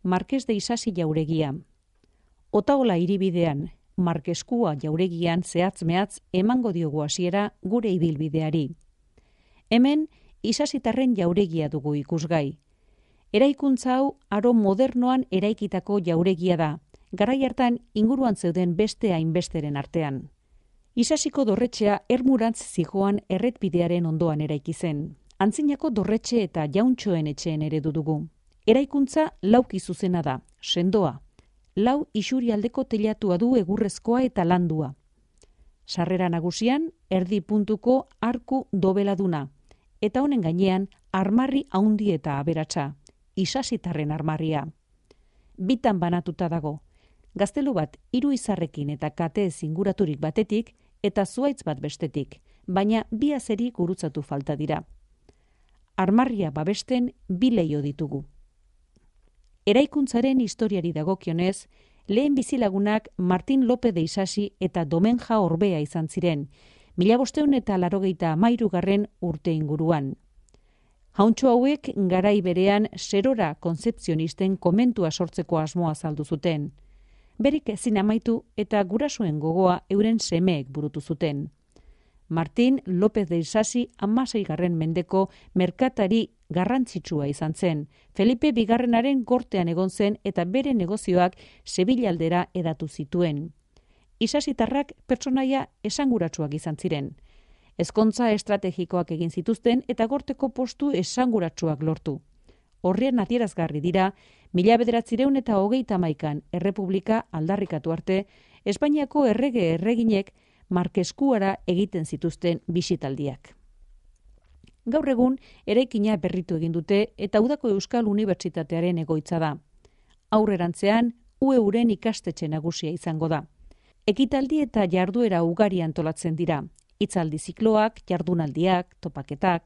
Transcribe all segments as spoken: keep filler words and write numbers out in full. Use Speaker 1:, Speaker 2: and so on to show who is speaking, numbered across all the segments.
Speaker 1: Markes de Isasi jauregia. Otaola hiribidean, Markeskua jauregian zehatz-mehatz emango diogu hasiera gure ibilbideari. Hemen, Isasitarren jauregia dugu ikusgai. Eraikuntza hau aro modernoan eraikitako jauregia da, garai hartan inguruan zeuden beste hainbesteren artean. Isasiko dorretxea ermurantz zijoan erretbidearen ondoan eraiki zen. Antzinako dorretxe eta jauntxoen etxeen eredu dugu. Eraikuntza lauki zuzena da, sendoa. Lau isurialdeko teilatua du egurrezkoa eta landua. Sarrera nagusian, erdi puntuko arku dobeladuna, eta honen gainean armarri haundi eta aberatsa, Isasitarren armarria. Bitan banatuta dago, gaztelu bat hiru izarrekin eta kateez inguraturik batetik eta zuhaitz bat bestetik, baina bi azeri gurutzatu falta dira. Armarria babesten bi leiho ditugu. Eraikuntzaren historiari dagokionez, lehen bizilagunak Martin Lope de Isasi eta Domenja Orbea izan ziren, mila bosteun eta larogeita hamairugarren urte inguruan. Jauntxo hauek garai berean serora konzepzionisten komentua sortzeko asmoa azaldu zuten. Berik ezin amaitu eta gurasoen gogoa euren semeek burutu zuten. Martin López de Isasi hamaseigarren mendeko merkatari garrantzitsua izan zen. Felipe bigarrenaren gortean egon zen eta bere negozioak Sevilla aldera edatu zituen. Isasitarrak pertsonaia esanguratsuak izan ziren. Ezkontza estrategikoak egin zituzten eta gorteko postu esanguratsuak lortu. Horrien adierazgarri dira, mila bederatzireun eta hogeita hamaikan errepublika aldarrikatu arte, Espainiako errege erreginek Markeskuara egiten zituzten bisitaldiak. Gaur egun, eraikina berritu egin dute eta Udako Euskal Unibertsitatearen egoitza da. Aurrerantzean, U E Uren ikastetxe nagusia izango da. Ekitaldi eta jarduera ugari antolatzen dira, hitzaldi zikloak, jardunaldiak, topaketak.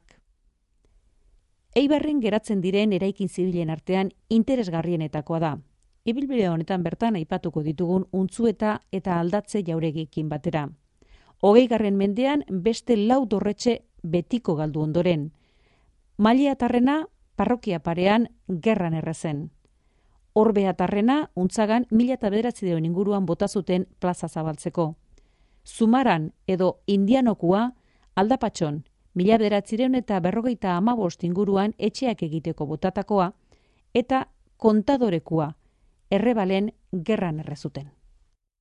Speaker 1: Eibarren geratzen diren eraikin zibilen artean interesgarrienetakoa da. Ibilbide honetan bertan aipatuko ditugun Untzueta eta Aldatze jauregikin batera. Hogeigarren mendean beste lau dorretxe betiko galdu ondoren. Maileatarrena parrokia parean gerran errezen. Orbeatarrena Untzagan mila eta bederatziehun inguruan bota zuten plaza zabaltzeko. Zumaran edo Indianokua Aldapatxon mila bederatziehun eta berrogeita hamabost inguruan etxeak egiteko botatakoa eta Kontadorekua Errebalen gerran errezuten.